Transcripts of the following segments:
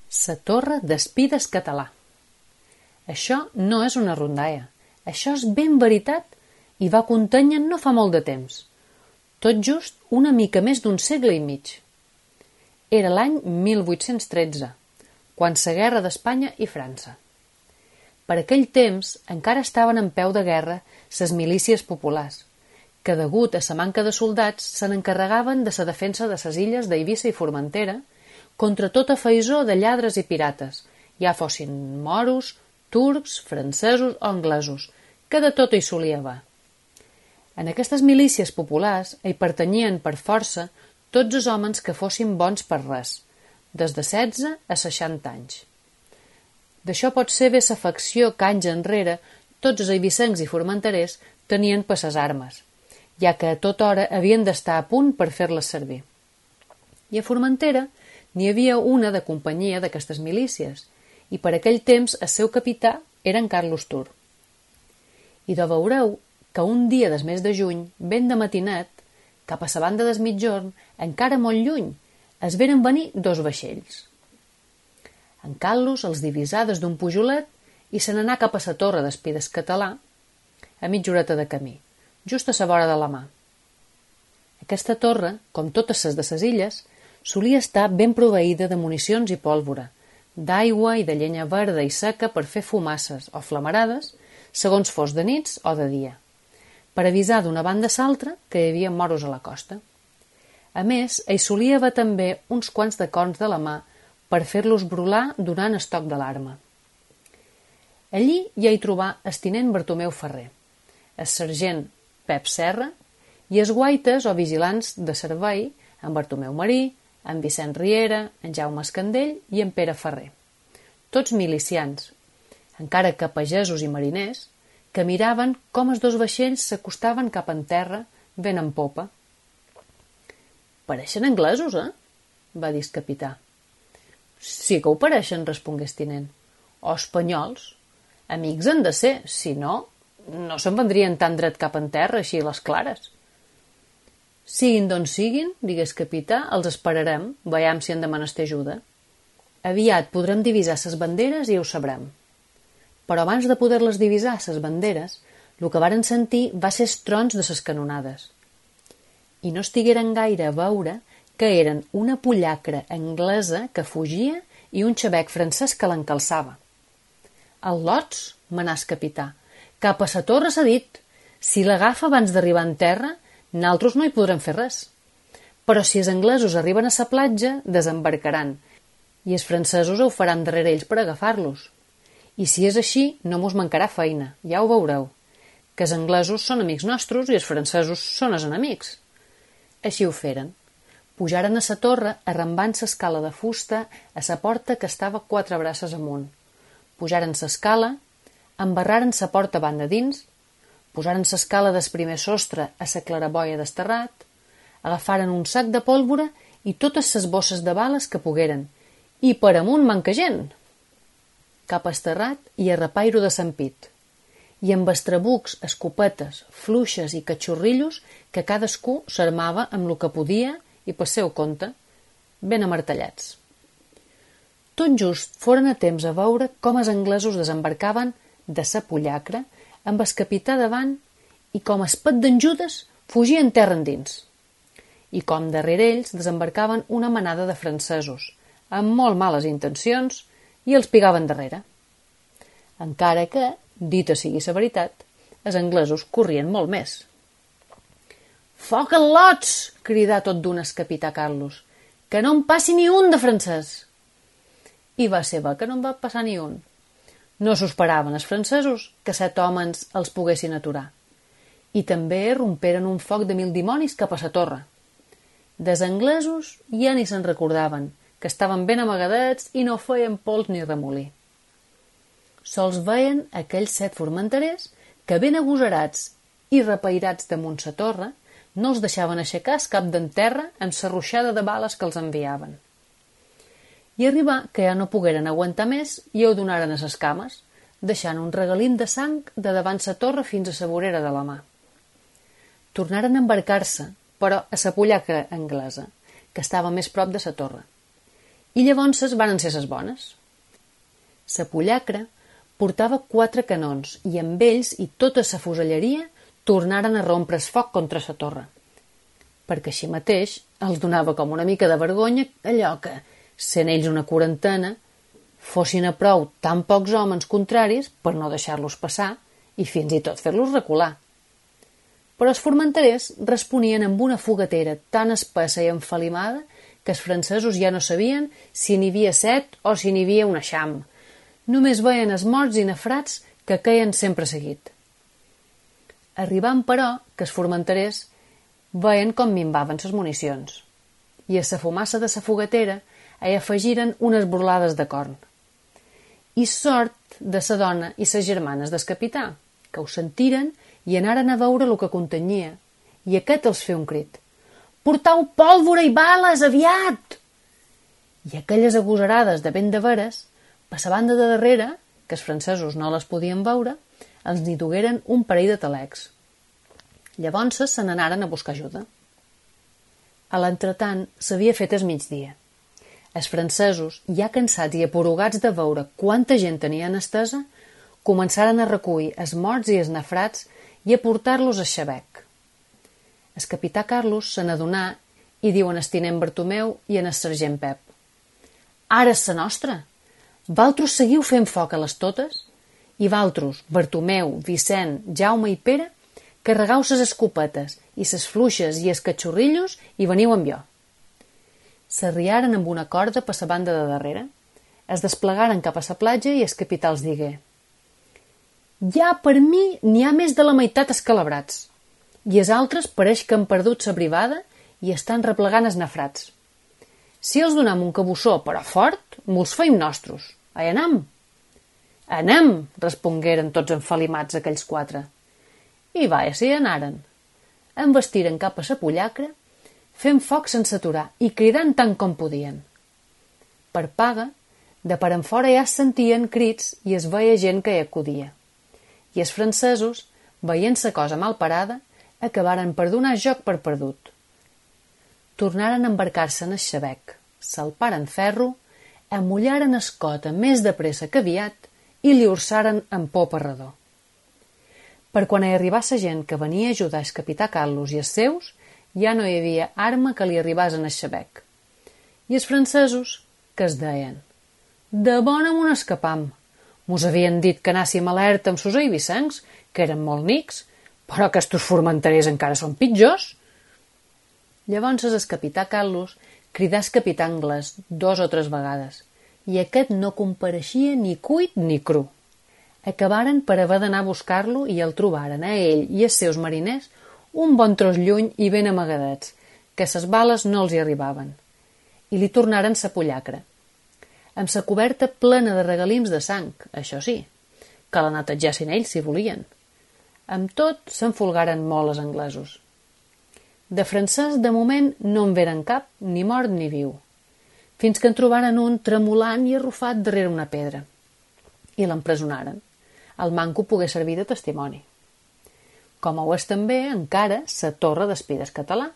Sa torre d'Espides català. Això no és una rondaia, això és ben veritat i va contènyer no fa molt de temps, tot just una mica més d'un segle i mig. Era l'any 1813, quan sa guerra d'Espanya i França. Per aquell temps encara estaven en peu de guerra ses milícies populars, que degut a sa manca de soldats se n'encarregaven de sa defensa de ses illes d'Eivissa i Formentera contra tota faisó de lladres i pirates, ja fossin moros, turcs, francesos o anglesos, que de tot hi solia haver. En aquestes milícies populars hi pertanyien per força tots els homes que fossin bons per res, des de 16 a 60 anys. D'això pot ser bé sa facció que anys enrere tots els eivissencs i formenterers tenien per ses armes, ja que a tota hora havien d'estar a punt per fer-les servir. I a Formentera n'hi havia una de companyia d'aquestes milícies, i per aquell temps el seu capità era en Carlos Tur. I de veureu que un dia des mes de juny, ben de matinet, cap a sa banda des mitjorn, encara molt lluny, es veren venir dos vaixells. En Carlos els divisà des d'un pujolet i se n'anà cap a sa torre d'Espides català, a mitja horeta de camí, just a sa vora de la mà. Aquesta torre, com totes ses de ses illes, solia estar ben proveïda de municions i pólvora, d'aigua i de llenya verda i seca per fer fumasses o flamarades, segons fos de nits o de dia, per avisar d'una banda a l'altra que hi havia moros a la costa. A més, hi solia haver també uns quants de corns de la mà per fer-los brular donant estoc d'alarma. Allí ja hi trobà el tinent Bartomeu Ferrer, el sergent Pep Serra i els guaites o vigilants de servei en Bartomeu Marí, en Vicent Riera, en Jaume Escandell i en Pere Ferrer, tots milicians, encara que pagesos i mariners, que miraven com els dos vaixells s'acostaven cap en terra, vent en popa. «Pareixen anglesos, eh?», va dir el capità. «Sí que ho pareixen», respongué el tinent. «O espanyols. Amics han de ser, si no, no se'n vendrien tan dret cap en terra, així a les clares». «Siguin d'on siguin», digué el capità, «els esperarem, veiem si han de menester ajuda. Aviat podrem divisar ses banderes i ho sabrem». Però abans de poder-les divisar, ses banderes, el que varen sentir va ser els trons de ses canonades. I no estigueren gaire a veure que eren una pollacra anglesa que fugia i un xabec francès que l'encalçava. «Al·lots», manà el capità, «cap a sa torre s'ha dit. Si l'agafa abans d'arribar en terra, naltros no hi podrem fer res. Però si els anglesos arriben a sa platja, desembarcaran, i els francesos ho faran darrere ells per agafar-los. I si és així, no mos mancarà feina, ja ho veureu, que els anglesos són amics nostres i els francesos són els enemics». Així ho feren. Pujaren a sa torre arrambant s'escala de fusta a sa porta que estava 4 braces amunt. Pujaren s'escala, embarraren sa porta banda dins, posaren s'escala des primer sostre a sa claraboia desterrat, agafaren un sac de pólvora i totes ses bosses de bales que pogueren, i per amunt manca gent. Cap a esterrat i a repairo de Sant Pit, i amb estrabucs, escopetes, fluixes i catxorrillos que cadascú s'armava amb lo que podia i per seu compte, ben amartellats. Tot just foren a temps a veure com els anglesos desembarcaven de sa pollacra amb el capità davant i com es pet d'en Judes fugien terra endins, i com darrere ells desembarcaven una manada de francesos amb molt males intencions i els pigaven darrere. Encara que, dita sigui la veritat, els anglesos corrien molt més. «Foc en lots!», cridà tot d'un el capità Carlos, «que no en passi ni un de francès!» I va ser bé que no en va passar ni un. No s'ho esperaven els francesos que 7 homes els poguessin aturar. I també romperen un foc de 1000 dimonis cap a sa torre. Des anglesos ja ni se'n recordaven, que estaven ben amagadets i no feien pols ni remolí. Sols veien aquells 7 formenterers que, ben agosarats i repairats damunt sa torre, no els deixaven aixecar el cap d'en terra amb sa ruixada de bales que els enviaven. I arribà que ja no pogueren aguantar més i ho donaren a ses cames, deixant un regalín de sang de davant sa torre fins a sa vorera de la mà. Tornaren a embarcar-se, però a sa pollacra anglesa, que estava més prop de sa torre. I llavors varen ser ses bones. Sa pollacra portava 4 canons i amb ells i tota sa fuselleria tornaren a rompre's foc contra sa torre, perquè així mateix els donava com una mica de vergonya allò que, sent ells una quarantena, fossin a prou tan pocs homes contraris per no deixar-los passar i fins i tot fer-los recular. Però els formenterers responien amb una fogatera tan espessa i enfalimada que els francesos ja no sabien si n'hi havia 7 o si n'hi havia un eixam. Només veien els morts i nafrats que queien sempre seguit. Arribant, però, que els formenterers veien com minvaven ses municions i a sa fumassa de sa fogatera hi afegiren unes burlades de corn. I sort de sa dona i ses germanes del capità, que ho sentiren i anaren a veure el que contenia, i aquest els feu un crit: «Portau pólvora i bales, aviat!» I aquelles agosarades de vent de veres, per la banda de darrere, que els francesos no les podien veure, els n'hi dugueren un parell de talecs. Llavors se n'anaren a buscar ajuda. A l'entretant s'havia fet el migdia. Els francesos, ja cansats i aporugats de veure quanta gent tenien estesa, començaren a recollir els morts i els nafrats i a portar-los a Xabec. El capità Carlos se n'adonà i diu en el tinent Bartomeu i en el sergent Pep: «Ara és la nostra! Valtros seguiu fent foc a les totes i valtros, Bartomeu, Vicent, Jaume i Pere, carregau ses escopetes i ses fluixes i els catxorrillos i veniu amb jo». S'arriaren amb una corda per la banda de darrere, es desplegaren cap a la platja i el capità els digué: «Ja per mi n'hi ha més de la meitat escalabrats i els altres pareix que han perdut la brivada i estan replegant els nafrats. Si els donam un cabussó, però fort, mo'ls feim nostros. Ai, anam!» «Anem!» respongueren tots enfalimats aquells 4. I vaja, si anaren. Envestiren cap a la pollacra, fent foc sense aturar i cridant tant com podien. Per paga, de per enfora ja es sentien crits i es veia gent que hi acudia. I els francesos, veient la cosa mal parada, acabaren per donar joc per perdut. Tornaren a embarcar-se en el Xabec, salparen ferro, amullaren escota més de pressa que aviat i li orçaren en popa redó. Per quan hi arribà la gent que venia a ajudar el capità Carlos i els seus, ja no hi havia arma que li arribàs en el Xabec. I els francesos, que es deien: «De bona mon escapam. Mos havien dit que anàssim alerta amb sos eivissencs, que eren molt nics, però que estos formenterers encara són pitjors». Llavors el capità Carlos cridà el capità anglès 2 o 3 vegades, i aquest no compareixia ni cuit ni cru. Acabaren per haver d'anar a buscar-lo i el trobaren a ell i els seus mariners un bon tros lluny i ben amagadets, que ses bales no els hi arribaven, i li tornaren sa pollacra, amb sa coberta plena de regalims de sang, això sí, que la netegessin ells si volien. Amb tot, s'enfolgaren molt els anglesos. De francès, de moment, no en veren cap, ni mort ni viu, fins que en trobaren un tremolant i arrufat darrere una pedra, i l'empresonaren. El manco pogué servir de testimoni. Com ho és també, encara, sa torre d'espides català,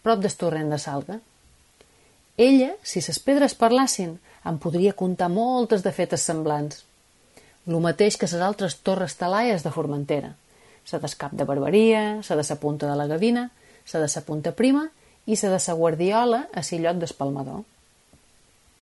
prop del torrent de Salga. Ella, si ses pedres parlassin, en podria contar moltes de fetes semblants. Lo mateix que ses altres torres talaies de Formentera, sa del Cap de Barberia, sa de sa Punta de la Gavina, sa de sa Punta Prima i sa de sa Guardiola a Sillot d'Espalmador.